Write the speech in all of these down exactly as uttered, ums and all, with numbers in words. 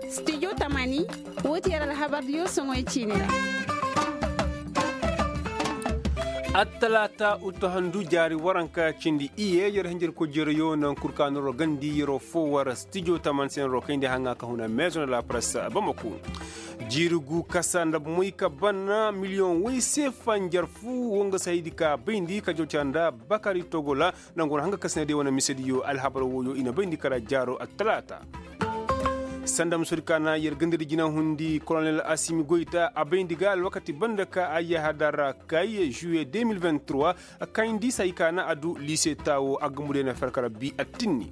Studio tamaani, woo ti yer alhabardiyo soŋoy ciini ra. Attalaata uttahandu jaari waranka cindi iye yer hinjir kojeerayo naŋ kul ka noro gandi yeroo foo war studio tamaani se noro kayndi haŋa ka huna maison de la presse bamako. Jiiri gu kasa nda moy ka bana miliyoŋ woy se fanjar fu wo nga se haydi ka bayndi ka jawca nda bakari togola. Nangu wane hanga kasina de wane misediyo alhabar woyo i na bayndi kara jaaro attalaata. Sanda musodi ka na yer gandadi jina hundi kolonel asimi goyta a bayndi ga alwakati banda ka a yahadara kay juye deux mille vingt-trois. Kayndi say ka na a du lise taawo a gumbu de na farkara bi attinni.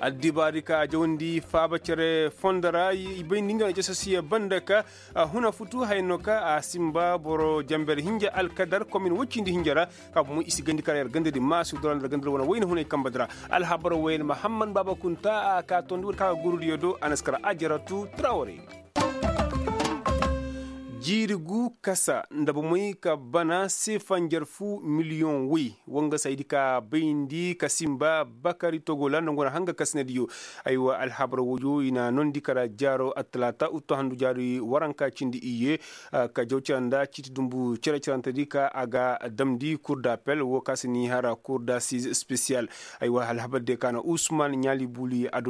Addibaari ka a jawandi faaba cere fondo ra i bayndi nga na jasasiya banda ka a huna futu hayno ka a simba boro jamber hinja alkadar komin wacindi hinja ra. Ka bomo i si gandi kara yer ganda di maasu dora nda ganda di wane wayna hunay kamba dira. Alhabar wayna mahamman baba kunta a ka tondi wadi ka ga gurudiyo do a na si kara ajaratu traware. Jiiri gu kasa nda bomoy ka bana seefa njarfu miliyoŋ woy. Wanga saydi ka bayndi ka simba bakari togola nda ngu na hanga kasinadiyo. Aywa alhabar woyo i na nondi kara jaaro attalaata uttu handu jaari waranka cindi iyye. Ka jaw cira nda ciiti dumbu cere cirante di ka a ga damndi kur d'appel wo ka si ni hara kur d'assize spécial. Aywa alhabar de ka na usman ɲaali buuli a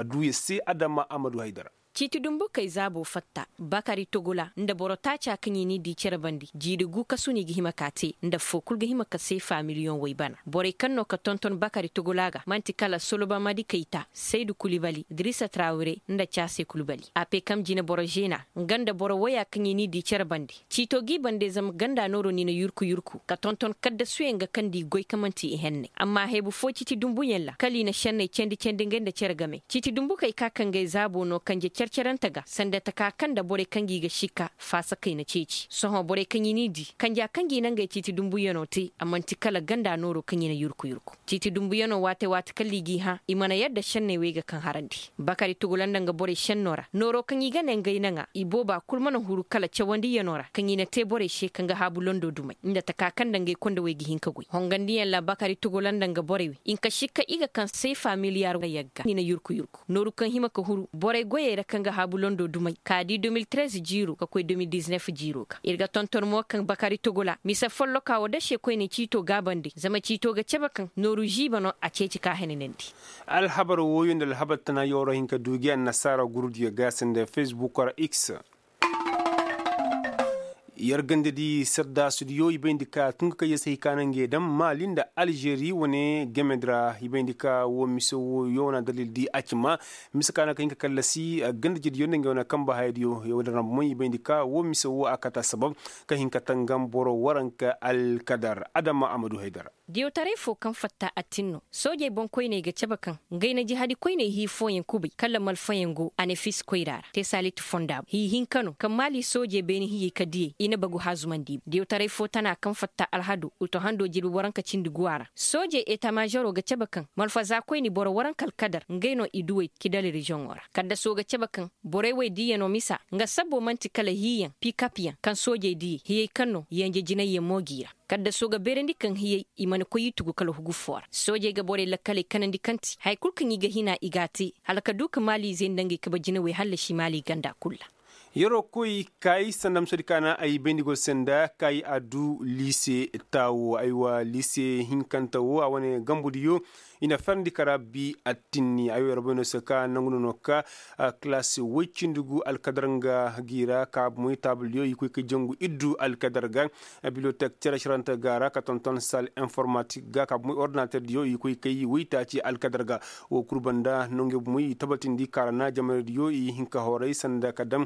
du ya se adama amadu haydara. Ciiti dumbu kay zaabo fatta bakari togola nda boro taaca kaŋ i n'i di cere bandi jiiri gu kasu no i ga hima ka te nda foo kul ga hima ka seefa miliyoŋ way bana borey kaŋ no ka tonton bakari togola ga man'ti kala soloba madi kayta saydu kulibali dirisa trawire nda caase kulibali a pe kam jineboro zeena nga nda boro woya kaŋ i n'i di cere bandi. Ciito g'i bande zama ganda nooro ni na yurku yurku ka tonton kaddasuyaŋ ga kaŋ nda i goy ka man'ti i henne amma heebu fo ciiti dumbuyaŋ ra kala i na šenney candi candi ngey nda cere game ciiti dumbukey ka kaŋ ngey zaabo no kanje care carante ga sanda taka kaŋ nda borey kaŋ ga i ga sikka faasakey na ceeci sohõ borey kaŋ i n'i di kanja kaŋ ga i na ngey ciiti dumbuyano te a man'ti kala ganda nooro kaŋ i na yurku yurku. Ciiti dumbuyanoo waate waate kala i g'i hã i mana yadda šenney wey ga kaŋ harandi. Bakari tugula nda nga borey šennoo ra nooroo kaŋ i ga ne ngey naŋa i boobaa kul mana huru kala cawandiyanoo ra kaŋ i na tee borey se kaŋ ga haabu londoo dumey nda takaa kaŋ nda ngey kondowey ga hin ka goy hongandiyaŋ ra bakari tugula nda nga borey wey i nka sikka i ga kaŋ seefa miliyaar yagga i na yurku yurku nooru kaŋ hima ka huru borey goyey ra kaŋ ga haabu londoo dumey ka di deux mille treize jiiroo ka koy deux mille dix-neuf jiiroo ga ir ga tonton mo kaŋ bakari tugula mise follokaa woo da se koyne ciitoo gaabandi zama ciitoo ga cebe kaŋ nooru žiiba no a ceeci ka henanandi. Alhabar wooyo nda alhabar tana yooro hin ka du gi annasaara gurudiyo ga sanda fesbukoo ra x. Yer ganda di sardaasudiyo i bayndi ka tun ka kay yer se hay ka na ngey daŋ maali nda alžeri wane game di ra i bayndi ka woo mise wooyo wane addalil di a ci ma mise ka na ka hin ka kallasi ganda jediyo nda ngey wane kamba hayadiyo. Yer wane ra mo i bayndi ka woo mise woo a kata sabab ka hin ka tangam boro waranka alkadar adama a ma du haydara. Diyawtaray foo kaŋ fatta attin no soojey boŋkoyney ga cabe kaŋ ngey na jihadi koyney hii fooyaŋ kubay kala malfayaŋ go anefis koyra ra tesalit fonda hii hinka no kaŋ maali soojey beeni hiyey ka diyey i na bagu haazumandi i boŋ diyawtaray foo tana kaŋ fatta alhado uto hando jirbi waranka cindi guwa ra soojey etamazeroo ga cabe kaŋ malfaza koyni boro waranka alkadar ngey no i duwey kidali reziyoŋo ra kaddasoo ga cabe kaŋ borey wey diiyanoo misa nga sabbo man'ti kala hiiyaŋ pikapyaŋ kaŋ soojey diyey hiyey kaŋ no yenje jinayyaŋ mo g'i ra. Kaddasoo ga beerandi kaŋ hiyey i mana koy i tugu kala hugu foo ra soojey ga borey lakkaley kanandi kaŋ ti haya kul kaŋ i ga hina i g'a te hala ka du ka maaliizey nda ngey kabe jinawey hallasi maali ganda kul ra. Yeroo koy kay sanda musadi ka na ay bayndi go se nda kay a du liise taawo aywa liise hinkante wo a wane gambudiyo. I na farandi kara bi attinni ay wo yer boy no se ka nangu no no ka kalaasi woy cindi gu alkadar nga gi ra ka moy taabaldiyo i koy ka jangu iddu alkadar ga. Bibliotek cere carante ga ra ka tonton sal informatik ga ka moy ordinaterdiyo i koy kay woy taaci alkadar ga. Wo kul banda nonge moy i tabatindi ka ra na jamaraydiyo i hin ka horay sanda ka daŋ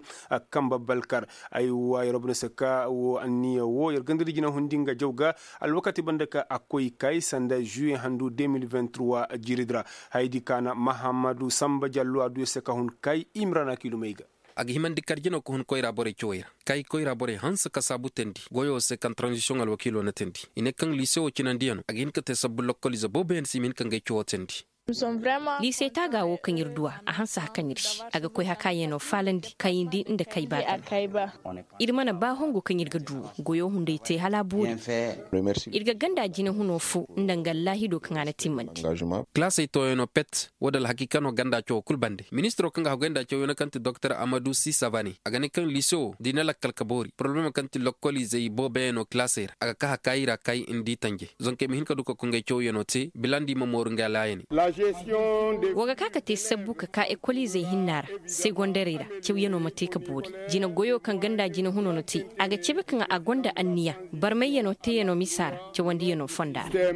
kamba balkar. Ay wa yer boy no se ka wo anniya wo yer gandadi jina hundi nga jaw ga. Alwakati banda ka a koy kay sanda juye handu deux mille vingt-trois jiiridi ra. Hayadi ka na mahammadu samba jallo a du yer se ka hun kay imrana kilumey ga. A ga himandi kar jino ka hun koyra borey cawey ra kay koyra borey hanse ka saabu teendi goyo se kaŋ tranzisiyoŋ alwakiilo na teendi i ne kaŋ liise wo cinandiyano a ga hin ka te sabbu lokkoliize booboyaŋ se i ma hin ka ngey cawo teendi. Liise taaga wo kaŋ ir duw'a a hanse hakan ir se a ga koy hakaayano faalandi kayndi nda kayba. Ir mana ba hongu kaŋ ir ga du wo goyo hunday te hala a boori. Ir ga ganda jinahuno fo nda nga allaahido kaŋ a na timmandi. Kalaasey tooyano pet wo da alhakiika no ganda cawo kul bande ministiro kaŋ ga haggoy nda cawyano kaŋ ti doktor amadu sisabani a ga ne kaŋ liise wo da i na lakkal ka boori poroblema kaŋ ti lokkoliizey booboyaŋ no kalaasey ra a ga ka hakaayi ra kaayi nda i tanje. Zonkey ma hin ka du ka koy ngey cawyano te bilandi ma mooru ngey alaayane. Wa ga ka ka te sabbu ka ka ekoliizey hinna ra segondarey ra. Cawyano ma te ka boori jina goyo kaŋ ganda jinahuno na te a ga cabe kaŋ a gonda anniya barmayyano teeyano misa ra cawandiyano fonda ra.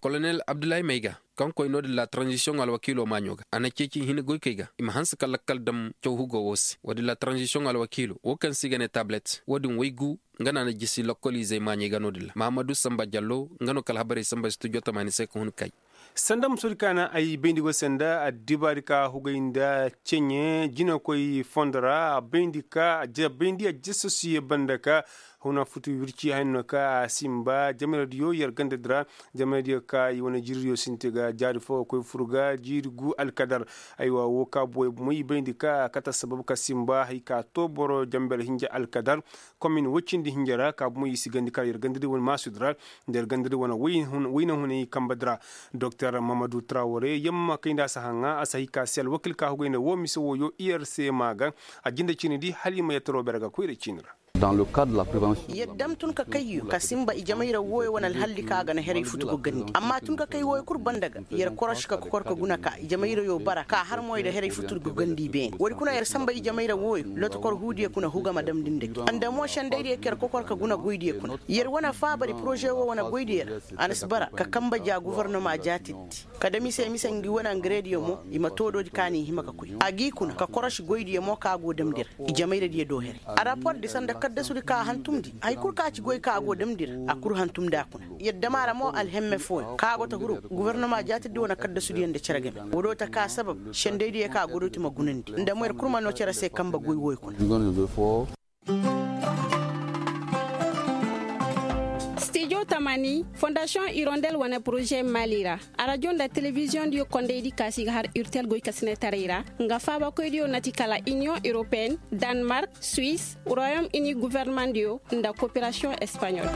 Kolonel abdullahi mayga kaŋ koy no-din la tranzisiyoŋ alwakiilo maaɲo ga a na ceeci hina goykey ga i ma hanse ka lakkal dam caw hugo wo se wo-din la tranzisiyoŋ alwakiilo wo kaŋ se i ga ne tablet wo-din waygu. Nga no a na jisi lokkoliizey maaɲey ga no-din ra mahammadu samba jallo nga no ka alhabarey samba studio tamaani se ka hun kay. Sanda musoodi ka na ay bayndi go sanda addibaadi ka hugay nda ceɲe jinakoy fondo ra a bayndi ka a bayndi a jisasuye banda ka huna futu wirci hayno ka a simba jamiradiyo yer gandadi ra. Jamiradiyo ka i wane jiiriyo sinti ga jaari fo ga koy fur ga jiiri gu alkadar. Aywa wo ka boy moy bayndi ka a kate assabab ka simba hay ka to boro jamber hinja alkadar. Komin woy cindi hinja ra ka bomo i si gandi kala yer gandadi wane maasudi ra nda yer gandadi wane wayna hunay kambadi ra. Doktor mamadu trawore yamma kay nda a si haŋa a si hay ka se alwakil ka hugay nda wo mise woyo i yer se ma ga. A jinde ciini di hala i ma yattaroo bere ga koyra ciini ra. Yer dam tun ka kayyo ka simba ijamayra wooyo wane alhalli ka ga na heray futu ga gandi amma tun ka kay wooyo kul banda ga yer korosi ka kokor ka guna ka ijamayrayo bara ka har moy nda heray futu ga gandi beene woodi kuna yer samba ijamayra wooyo lotokor huudiyo kuna huga ma damndi nda gi nda mo sendaydiyo ka yer kokor ka guna goydiyo kuna yer wane faabari poroze woo wane goydiyo ra. A na si bara ka kamba ja gofornoma jaatindi ka dam i se mise ngi wane angarediyo mo i ma toodoodi ka n'i hima ka koy a g'i kuna ka korosi goydiyo mo ka go damndi ra. Ijamayradiyo do here arapordi sanda kaddasudi ka a hantumndi hay kul ka ci goy ka a go damndi ra a kul hantumndi a kuna. Yer dam a ra mo alhemme fooyaŋ ka go ta huru gofornoma jaatidi wane kaddasudiyo nda cere game. Woodoo ta ka sabab sendaydiyo ka godooti ma gunandi nda mo yer kul ma noo cere se kambe goy wooyo kuna. Stijo tamani fondasiyoŋ irondel wane poroze maali ra. Arajo nda telebiziyoŋdiyo kondaydi kaasi ga har urtel goykasinetaray ra nga faabakoydiyo na ti kala iniyoŋ europeen, danmark, suwis, royom ini gofornomaŋdiyo nda koperasiyoŋ espaɲol.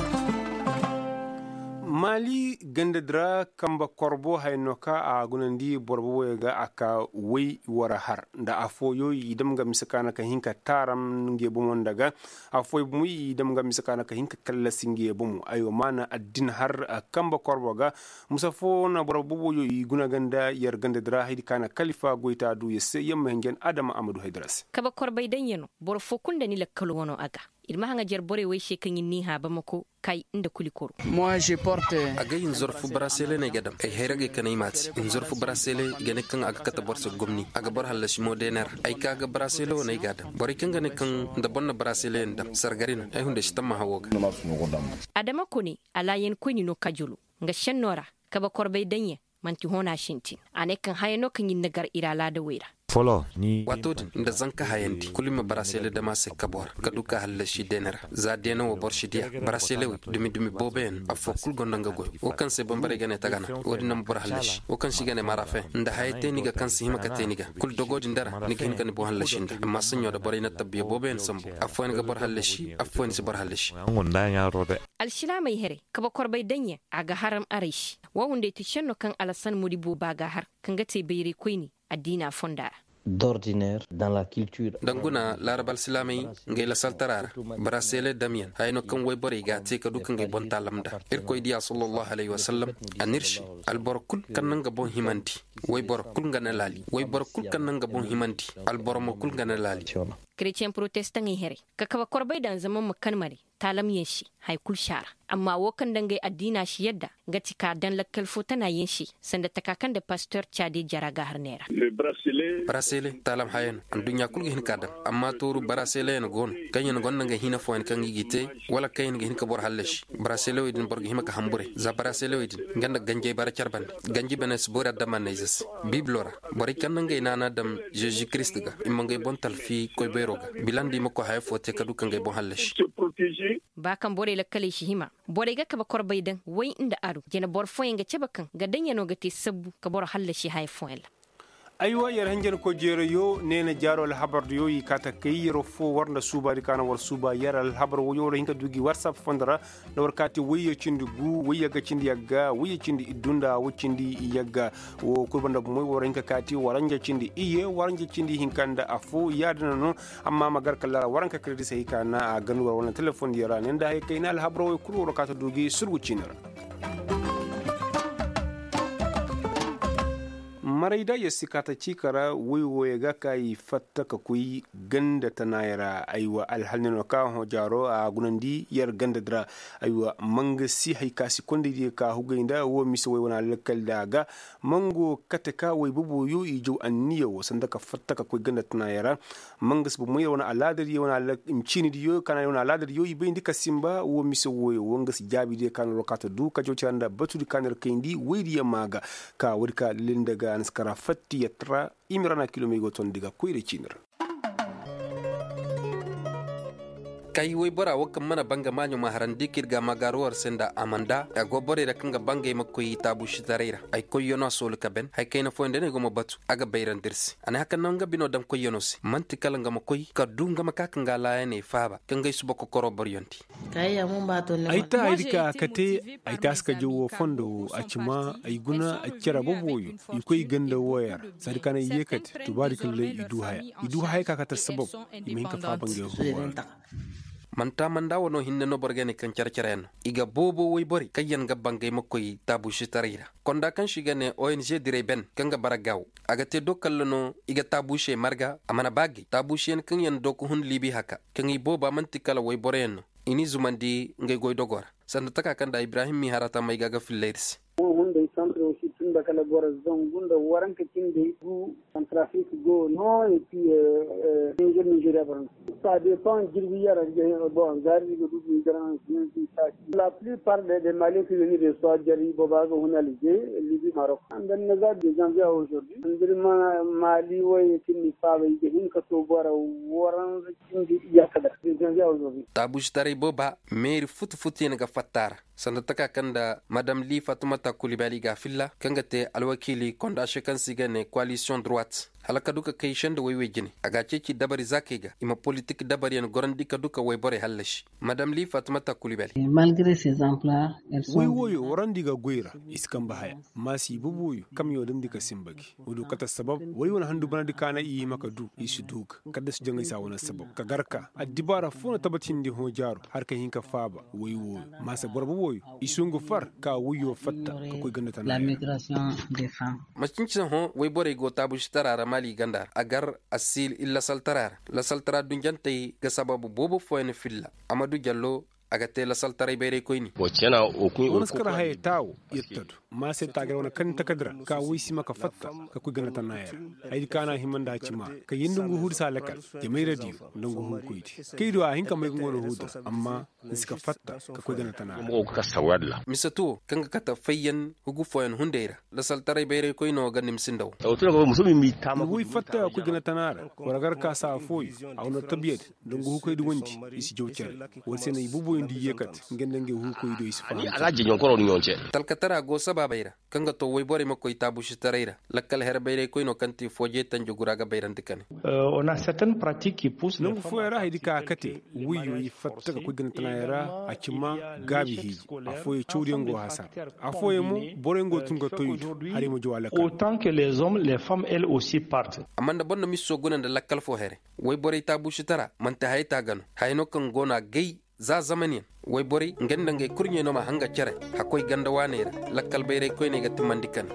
Maali gandadi ra kambe korbo haya no ka a gunandi boro boboyo ga a ka way war har nda affooyo i dam ga mise ka na ka hin ka taaram nge bomo nda ga. Affooyo bomo i dam ga mise ka na ka hin ka kallasi nge bomo aywa maana addin har kambe korbo ga. Mise foo na boro boboyo i guna ganda yer gandadi ra haydi ka na kalifa goyta du yer se yer ma hinjan adama amadu haydara se. Kabe korbay daŋ ya no boro foo kul nda ni lakkalo wano a ga. Ir ma haŋajer borey wey se kaŋ ir n'i hã bamako kay nda kulikoro. Agay hinzor fu barasele no ay ga daŋ ay hayragey ka ne ay m'a te hinzor fu barasele i ga ne kaŋ a ga kate boro se gomni a ga boro hallasi mo deene ra. Ay ka ga barasele wo no ay g'a daŋ borey kaŋ ga ne kaŋ nda boro na barasele yaŋ daŋ sargari no ay hunday si tammaha wo ga. Adama kone alaayankoyni no kajolo nga šenno ra kabe korbey daŋ yaŋ. Man'ti hõ no a sintin a ne kaŋ haya no kaŋ ir na gar ir alaadawey ra. Waato din nda zanka hayandi kulu i ma barasele dam a se kabo ra ka du ka hallasi deene ra za deene wo boro si diya baraselewey dumi-dumi booboyaŋ affoo kulu gonda nga goy wo kaŋ se bambarey ga ne tagana. Wo-din no ma boro hallasi wo kaŋ se i ga ne marafen nda haya te ni ga kaŋ si hima ka te ni ga kulu dogo din dara ni ga hin ka ni boŋ hallasi nda amma saɲɲo da borey na tabbiya booboyaŋ sambu. Affooyaŋ ga boro hallasi affooyaŋ si boro hallasi. Alsilaamey here kabe korbey daŋ yaŋ a ga haram aray se. Wo hunday ti šenno kaŋ alasan modi booba ga har kaŋ ga te bayraykoyne addiina fonda ra. Danguna laarab alsilaamey ngey lasaltara ra barasele damyaŋ haya no kaŋ wayborey g'a te ka du ka ngey boŋ taalam nda. Irkoy diya sallallahu alayhi wasallam a n'ir se alboro kul kaŋ na nga boŋ himandi wayboro kul nga na laali wayboro kul kaŋ na nga boŋ himandi alboro mo kul nga na laali. Kereceŋ protestaŋey here ka kabe korbey daŋ zama ma kan mare taalamyaŋ se haya kul si a ra. Amma wo kaŋ nda ngey addiina si yadda nga ti ka daŋ lakkal fo tanaayaŋ se sanda taka kaŋ nda pastor caade jara ga har neera. Barasele taalam haya no adduɲɲa kul ga hin k'a daŋ. Amma tooru baraseleyaŋ go no kaŋyaŋ gonda ngey hina fooyaŋ kaŋ i g'i te wala kaŋyaŋ ga hin ka boro hallasi. Baraselewey din boro ga hima ka hamburay za baraselewey din nga nda ganjey bara care bande. Ganji bane si boori adamanney ze se biibilo ra borey kaŋ na ngey naana daŋ zeezi kiristi ga i ma ngey boŋ talfi koy bayro ga bilandi i ma koy haya fo te ka du ka ngey boŋ hallasi. ba kaŋ borey lakkaley si hima borey ga kabe korbey daŋ way nda aru jine boro fooyaŋ ga cabe kaŋ ga daŋ ya no ga te sabbu ka boro hallasi haya fooyaŋ ra. Aywa yer hanjankoy jeerayo neena jaaro alhabar diyo i kaa ta kay yer foo war nda suubaadi ka na war suuba yer alhabar woyo war hin ka du gi warsap fondo ra. Nda war kaati wayye cindi gu wayye ga cindi yagga wayye cindi iddu nda way cindi yagga. Wo kul banda bumoy war hin ka kaati waranja cindi iyye waranja cindi hinka nda afo yaadina no. Amma ma gar kala ra waranka kiredisey ka na a ganduwar wala telefondiyo ra ne nda haya kayna alhabar woy kul war kaati du gi surgu ciini ra. Maray da yer si kaata ciika ra woy wooyo ga ka i fatta ka koy ganda tanaayo ra. Aywa alhal ne no ka hõ jaaro a gunandi yer ganda di ra. Aywa mangasi hari ka si kondey diyo ka hugay nda wo mise woy wane alakkal da a ga. Mango kate ka woy boboyo i jaw anniya wo sanda ka fatta ka koy ganda tanaayo ra. Mangas bomoy wane alaadadiyo wane ciinidiyo ka na wane alaadadiyo i bayndi ka simba wo mise wooyo wo nga si jaabidiyo ka na rokaata du ka jawtira nda batudi ka na ir kayndi woydiyo maa ga. Ka woodi ka lilindi ga a na si kara fatti yattara. Imirana kilomey go tondi ga koyra ciini ra. Kay woybora wo kaŋ mana banga maaɲo ma harandi ka ir ga a magaaru war se nda amanda a go borey ra kaŋ ga bangay ma koy taabuusitaray ra. Ay koyyanoo a soolu ka ben hari kayna fooyaŋ day no ay go ma batu a ga bayrandi ir se. A ne haka naŋ nga bino daŋ koyyanoo se man'ti kala nga ma koy ka du nga ma ka ka nga laayaney faaba ka nga ay suba kokoro boroyaŋ di. Ay ta hari ka kate ay taasi ka jaw woo fondo woo a ci ma ay guna cere boboyo. I koy ganda wooyo ra saadi ka na i yeekate tubaadi kalley i du haya i du haya ka kate sabab. I ma hin ka faaba ngey huuwa ra. Man'ta manda wano hinne no boro ga ne kaŋ cere-cereyaŋ no i ga boobo woyborey kaŋyaŋ ga bangay ma koy taabuusitaray ra. Konda kaŋ se i ga ne ong direy ben kaŋ ga bara gaawo a ga te do kalla no i ga taabuusey marga a mana ba gay taabuusiyaŋ kaŋyaŋ do ka hun liibi haka kaŋ i booba man'ti kala woyboroyaŋ no. I n'i zumandi ngey goydogoo ra sanda taka kaŋ nda ibrahim m'i hara tamey ga a ga filla ir se. Moo hunday santiroo si tun nda kala boro zangu nda waranka cindey gu. Santirafiriki go no epi nizer nizeriya boro no. Saa depaŋ jirbi yara ga hin bon gaari ga du ga hin garansi. La pilipar de maliyen ka ga hin de soojari booba ga hun alije libi marok. Nda ni na za de zanviya ozordi nda ni ma mali woy kaŋ ni faaba i ga hin ka to boro waranza cindi iyaka da. Taabuusitaray booba meeri futu-futuyaŋ ga fatta a ra. Sanda taka kaŋ nda madam li fatumata kulibali ga a filla kaŋ ga te alwakiili kondaase kaŋ se i ga ne koalisiyoŋ duruwat hala ka du ka kay senda woy-woy jine a ga a ceeci dabari zaakey ga i ma politik dabariyaŋ gorandi ka du ka woyborey hallasi. Madam li fatumata kulibali. Woy wooyo warandi ga goy ra i si kambe haya. Maasi i booboyo kamyo damndi ka simba gi. Woy do kate sabab woy wane handu banandi ka na i hima ka du i si du ga kadda si jaŋay se a wane sabab ka gar ka addibaara foo na tabatindi hõ jaaro hala ka hin ka faaba woy wooyo. Maasa boro booboyo i si ngu far ka woyyo fatta ka koy ganda tana. Macinci hõ woyborey go taabuusitaraa ra maali ganda ra a gar asiil ir lasaltaraa ra. Lasaltaraa dunjantey ga sababu boobo fooyaŋ filla. Amadu jallo a ga te lasaltaray bayraykoyni. Wo na si kar hayey taawo yer tadu. Maase taagar wane kani takadi ra ka woy si ma ka fatta ka koy ganda tana yer. Haydi ka na hima nda a ci ma ka yee nda ngu huudi si a lakal. Jamayradiyo nda ngu huukoydi kay do a hin ka may ga ngu wane huudi ra amma ni si ka fatta ka koy ganda tana ra. Mise tuwo kaŋ ga kate fayyan hugu fooyaŋ hunday ra. Lasaltaray bayraykoyno ga nimsi nda wo. Ni woy fatta ka koy ganda tana ra war gar ka saa fooyo. A wane tabiyadi nda ngu huukoydi wondi i si jaw cere. War se no i booboyo nda i yeekate nga nda ngey huukoydo i si faham. Talkatara go sabaabey ra kaŋ ga to woyborey ma koy taabusitaray ra. Lakkal her bayraykoyno kaŋ ti fooje tanjugura ga bayrandi kane. Nangu fooyaŋ ra haydi ka a kate woyyo i fatta ka koy ganatanaayaŋ ra. A ci ma gaabi hiiji. Afooyaŋ cawdiyaŋ go hasara. Afooyaŋ mo boroyaŋ go tun ga toy i do. Haray ma jaw a lakkal. Amma nda boro na miso guna nda lakkal fo here. Woyborey taabusitara manti haya taaga no. Haya no kaŋ go no a gay za zamaniyaŋ. Woyborey nga nda ngey kurɲey no ma hanga cere. Hakkoy ganda waaney ra. Lakkal bayray koyney ga timandi kane.